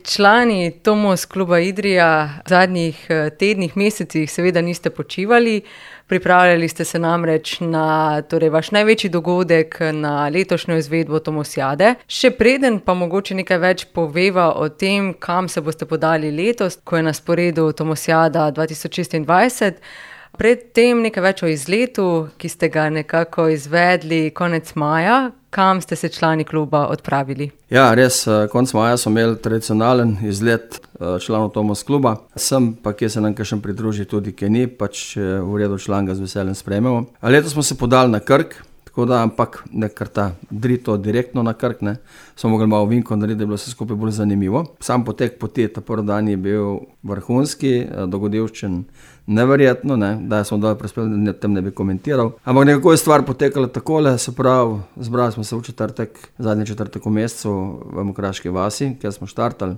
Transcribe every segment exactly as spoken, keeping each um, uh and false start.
Člani Tomos kluba Idrija v zadnjih tednih, mesecih seveda niste počivali. Pripravljali ste se namreč na torej vaš največji dogodek, na letošnjo izvedbo Tomosjade. Še preden pa mogoče nekaj več poveva o tem, kam se boste podali letos, ko je na sporedu Tomosjada dva tisoč šestindvajset. Pred tem nekaj več o izletu, ki ste ga nekako izvedli konec maja. Kam ste se člani kluba odpravili? Ja, res, konec maja smo imeli tradicionalen izlet članov Tomos kluba. Sem pa, kje se nam kakšen pridruži, tudi kje ni, pač v redu član ga z veseljem sprejmemo. A letos smo se podali na Krk, tako da, ampak ne kar ta drito direktno na Krk, ne. Smo mogli malo vinko narediti, da je bilo vse skupaj bolj zanimivo. Sam potek poti, ta prvi dan je bil vrhunski, dogodivščen, neverjetno, ne, da smo dol prispeli, da tem ne bi komentiral. Ampak nekako je stvar potekala takole, se pravi, zbrali smo se v četrtek, zadnji četrtek v mesecu v Mokraški vasi, kjer smo štartali,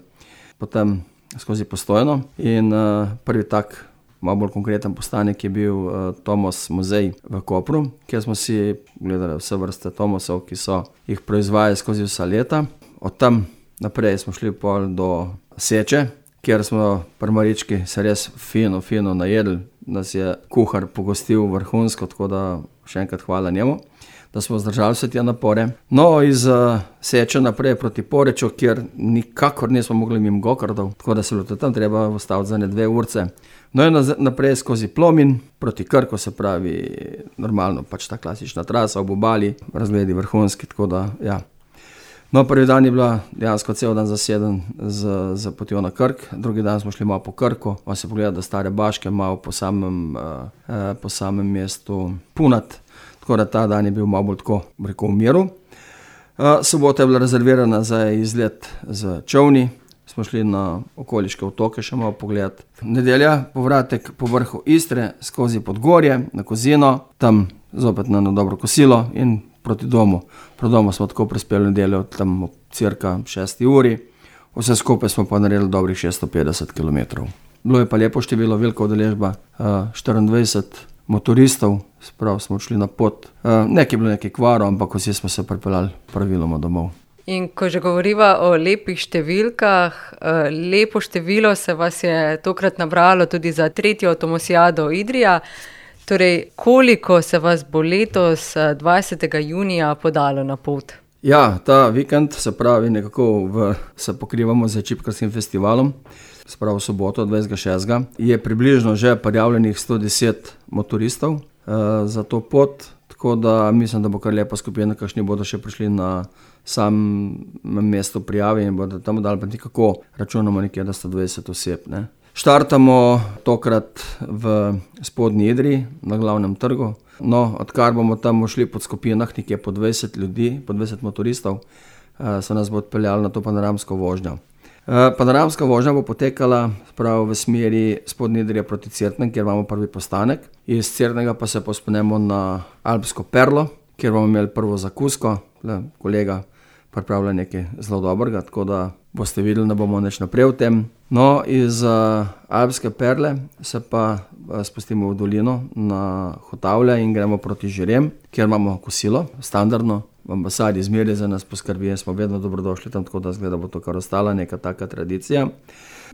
potem skozi Postojno in uh, prvi tak, malo bolj konkreten postanek je bil uh, Tomos muzej v Kopru, kjer smo si gledali vse vrste Tomosov, ki so jih proizvajali skozi vsa leta. Od tam naprej smo šli pol do Seče, kjer smo pri Marički se res fino, fino najedli, nas je kuhar pogostil vrhunsko, tako da še enkrat hvala njemu, da smo zdržali vse te napore. No, iz uh, Seče naprej proti Poreču, kjer nikakor nismo mogli mimo gokardov, tako da se bilo tam treba ustaviti za ne dve urce. No in naprej skozi Plomin, proti Krku, se pravi normalno, pač ta klasična trasa ob obali, razgledi vrhunski, tako da ja. No, prvi dan je bila dejansko cel dan zaseden z, z potjo na Krk, drugi dan smo šli malo po Krku, malo se pogledati stare baške, malo po samem, uh, po samem mestu Punat, tako da ta dan je bil malo bolj tako, rekel, v miru. Uh, sobota je bila rezervirana za izlet z čovni, smo šli na okoliške otoke še malo pogledati. Nedelja, povratek po vrhu Istre, skozi Podgorje, na Kozino, tam zopet na eno dobro kosilo in proti domu. Proti domu smo tako prispeli nedeljo, tam ob cirka šesti uri. Vse skupaj smo pa naredili dobrih šeststo petdeset kilometrov. Bilo je pa lepo število, velika udeležba, štiriindvajset motoristov, sprav smo šli na pot. Nekaj je bilo nekaj kvarov, ampak vsi smo se pripeljali praviloma domov. In ko že govoriva o lepih številkah, lepo število se vas je tokrat nabralo tudi za tretjo Tomosjado Idrija. Torej, koliko se vas bo letos dvajsetega junija podalo na pot? Ja, ta vikend, se pravi nekako v, se pokrivamo z Čipkarskim festivalom, se pravi v soboto dvajsetega šestega je približno že prijavljenih sto deset motoristov uh, za to pot, tako da mislim, da bo kar lepa skupina, kakšni bodo še prišli na sam mesto prijave in bodo tam dali, pa nekako računamo nekje, da sto dvajset oseb, ne. Štartamo tokrat v Spodnji Idriji, na glavnem trgu. No, odkar bomo tam šli pod skupinah, nekje po dvajset ljudi, po dvajset motoristov, se nas bo odpeljali na to panoramsko vožnjo. Panoramska vožnja bo potekala prav v smeri Spodnje Idrije proti Cerknem, kjer imamo prvi postanek. Iz Cerknega pa se povzpenemo na Alpsko Perlo, kjer bomo imeli prvo zakusko. Kolega pripravlja nekaj zelo dobrega, tako da boste videli, da bomo nič naprej v tem. No, iz uh, Alpske Perle se pa uh, spustimo v dolino na Hotavlje in gremo proti Žirem, kjer imamo kosilo, standardno. V ambasadi izmerje za nas poskrbi, smo vedno dobrodošli tam, tako da zgleda bo to kar ostala neka taka tradicija.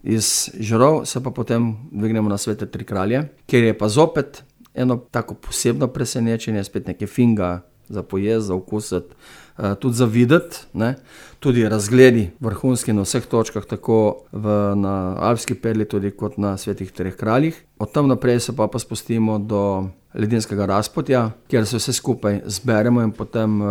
Iz Žirov se pa potem dvignemo na Svete tri kralje, kjer je pa zopet eno tako posebno presenečenje, spet nekaj finga za pojesti, za okusiti, uh, tudi za videti, ne. Tudi razgledi vrhunski na vseh točkah, tako v, na Alpski Perli, tudi kot na Svetih treh kraljih. Od tam naprej se pa, pa spustimo do Ledinskega razpotja, kjer se vse skupaj zberemo in potem uh,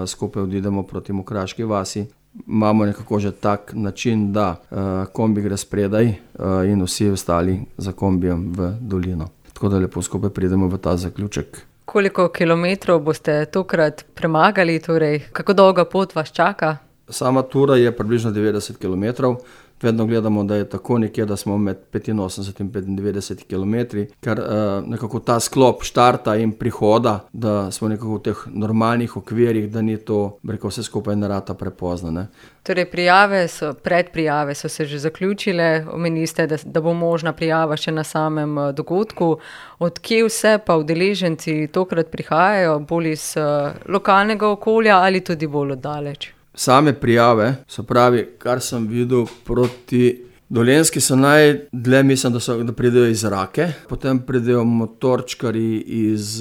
skupaj odidemo proti Mokraški vasi. Imamo nekako že tak način, da uh, kombi gre spredaj uh, in vsi ostali za kombijem v dolino. Tako da lepo skupaj pridemo v ta zaključek. Koliko kilometrov boste tokrat premagali, torej kako dolga pot vas čaka? Sama tura je približno devetdeset kilometrov. Vedno gledamo, da je tako nekje, da smo med petinosemdeset in petindevetdeset kilometri, ker uh, nekako ta sklop štarta in prihoda, da smo nekako v teh normalnih okvirih, da ni to, rekel, vse skupaj ne rata prepozno, ne. Torej, prijave so, predprijave so se že zaključile, omenili ste, da, da bo možna prijava še na samem uh, dogodku. Od kje vse pa udeleženci tokrat prihajajo, bolj iz uh, lokalnega okolja ali tudi bolj oddaleč? same prijave, se pravi, kar sem videl proti Dolenjski, so najdlje, mislim, da, so, da pridejo iz Rake, potem pridejo motorčkari iz,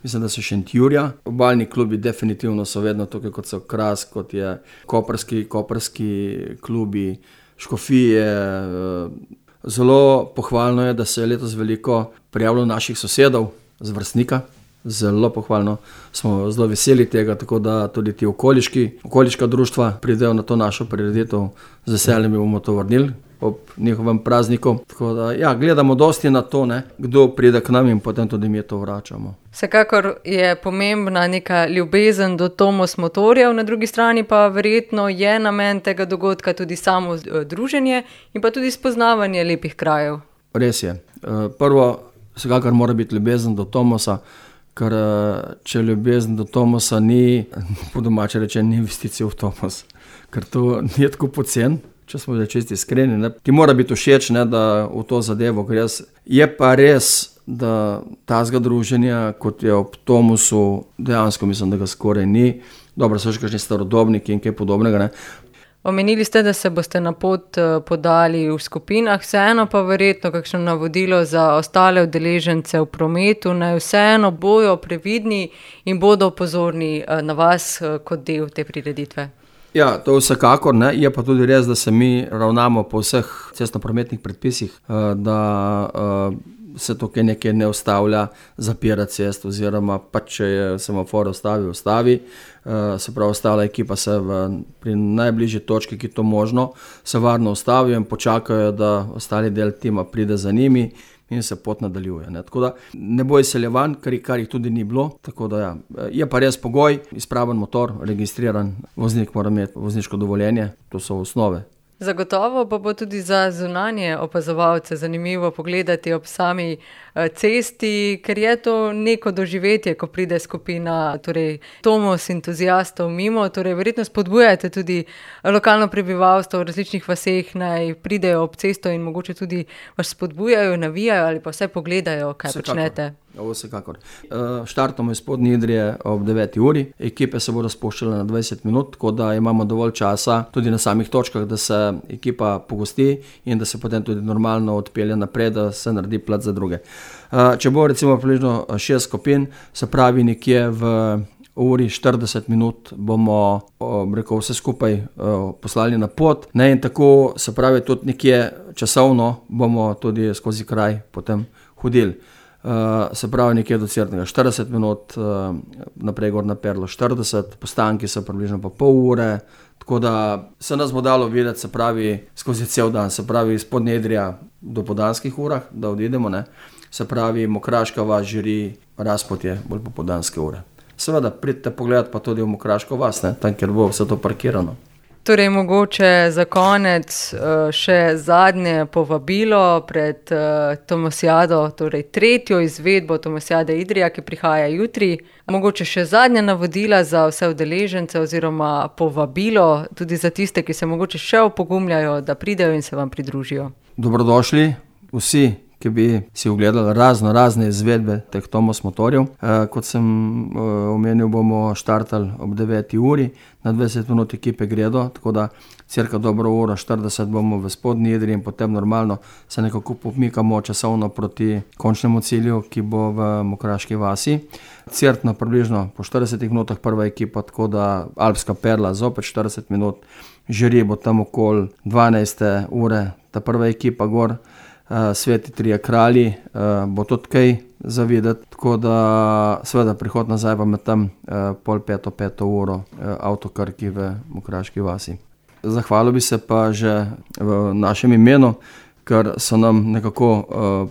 mislim, da so Šentjurja. Obalni klubi definitivno so vedno tukaj, kot so Kras, kot je koprski, koprski klubi, Škofije. Zelo pohvalno je, da se je letos veliko prijavilo naših sosedov z Vrstnika. Zelo pohvalno, smo zelo veseli tega, tako da tudi ti okoliški, okoliška društva pridejo na to našo prireditev, z veseljem bomo to vrnili ob njihovem prazniku. Tako da, ja, gledamo dosti na to, ne, kdo pride k nam in potem tudi mi to vračamo. Vsekakor je pomembna neka ljubezen do Tomos motorjev, na drugi strani pa verjetno je namen tega dogodka tudi samo druženje in pa tudi spoznavanje lepih krajev. Res je. Prvo, vsekakor mora biti ljubezen do Tomosa, ker če ljubezen do Tomosa ni, po domače reče, ni investicija v Tomos, ker to ni tako pocen, če smo zdaj čisti iskreni, ne. Ti mora biti všeč, ne, da v to zadevo gre. Je pa res, da tazga druženja, kot je ob Tomosu, dejansko mislim, da ga skoraj ni. Dobro, so še kakšni starodobniki in kaj podobnega, ne. Omenili ste, da se boste na pot podali v skupinah, vseeno pa verjetno kakšno navodilo za ostale udeležence v prometu, naj vseeno bojo previdni in bodo pozorni na vas kot del te prireditve. Ja, to vsekakor, ne. Je pa tudi res, da se mi ravnamo po vseh cestnoprometnih predpisih, da se tukaj nekaj ne ustavlja, zapira cest oziroma pa če je semafor ustavi, ustavi. Se pravi, ostala ekipa se v, pri najbližji točki, ki je to možno, se varno ustavijo in počakajo, da ostali del tima pride za njimi in se pot nadaljuje, ne. Tako da ne bo izseljevanj, kar, kar jih tudi ni bilo. Tako da ja, je pa res pogoj, izpraven motor, registriran, voznik mora imeti vozniško dovoljenje, to so osnove. Zagotovo pa bo tudi za zunanje opazovalce zanimivo pogledati ob sami cesti, ker je to neko doživetje, ko pride skupina, torej Tomos entuzijastov mimo, torej verjetno spodbujate tudi lokalno prebivalstvo v različnih vaseh, naj pridejo ob cesto in mogoče tudi vas spodbujajo, navijajo ali pa vse pogledajo, kaj Vsekakor. počnete. Vsekakor. Štartamo iz Spodnje Idrije ob deveti uri, ekipe se bodo spuščale na dvajset minut, tako da imamo dovolj časa tudi na samih točkah, da se ekipa pogosti in da se potem tudi normalno odpelje naprej, da se naredi plac za druge. Če bo recimo približno šest skupin, se pravi nekje v uri štirideset minut bomo, rekel, vse skupaj poslali na pot, ne, in tako se pravi tudi nekje časovno bomo tudi skozi kraj potem hodili. Uh, se pravi nekje do Cerknega štirideset minut, uh, naprej gor na Perlo štirideset, postanki so približno pa pol ure, tako da se nas bo dalo videti, se pravi, skozi cel dan, se pravi, iz Spodnje Idrija do podanskih urah, da odidemo, ne, se pravi, Mokraška vas, Žiri, Razpotje, bolj popodanske ure. Seveda, pridite pogledati pa tudi v Mokraško vas, ne, tam, kjer bo vse to parkirano. Torej, mogoče za konec še zadnje povabilo pred Tomosijado, torej tretjo izvedbo Tomosijade Idrija, ki prihaja jutri. Mogoče še zadnja navodila za vse udeležence oziroma povabilo tudi za tiste, ki se mogoče še opogumljajo, da pridejo in se vam pridružijo. Dobrodošli vsi, ki bi si ogledali razno razne izvedbe teh Tomos motorjev. E, kot sem e, omenil, bomo štartali ob deveti uri, na dvajset minut ekipe gredo, tako da cirka dobro uro štirideset bomo v Spodnji Idriji in potem normalno se nekako pomikamo časovno proti končnemu cilju, ki bo v Mokraški vasi. Cirkno približno po štiridesetih minutah prva ekipa, tako da Alpska Perla zopet štirideset minut, Žiri bo tam okoli dvanajste ure, ta prva ekipa gor. Uh, Sveti trije kralji, uh, bo tudi kaj za videti, tako da seveda prihod nazaj pa med tam uh, pol peto, peto uro uh, avtokarki v Mokraški vasi. Zahvalil bi se pa že v našem imenu, ker so nam nekako uh,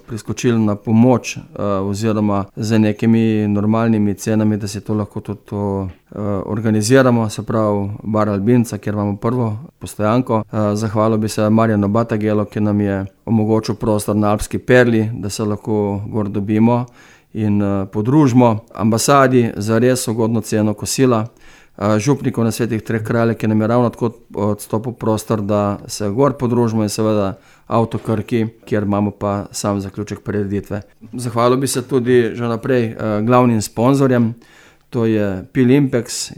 priskočili na pomoč uh, oziroma z nekimi normalnimi cenami, da se to lahko tudi to, uh, organiziramo, se pravi Bar Albinca, kjer imamo prvo postojanko. Uh, zahvalil bi se Marjanu Batagelu, ki nam je omogočil prostor na Alpski Perli, da se lahko gor dobimo in uh, podružimo. Ambasadi za res ugodno ceno kosila. Župnikov na Svetih treh kraljev, ki nam je ravno tako odstopil prostor, da se gor podružimo, in seveda avtokarki, kjer imamo pa sam zaključek prireditve. Zahvalil bi se tudi že naprej glavnim sponzorjem, to je Pilimpex,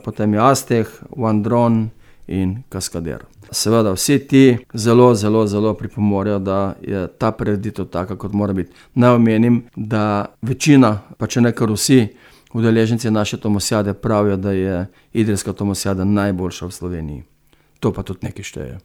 potem je Aztec, Wandron in Kaskader. Seveda vsi ti zelo, zelo, zelo pripomorejo, da je ta prireditev taka, kot mora biti. Naj omenim, da večina, pa če ne kar vsi udeleženci naše Tomosijade pravijo, da je idrijska Tomosijada najboljša v Sloveniji. To pa tudi nekaj šteje.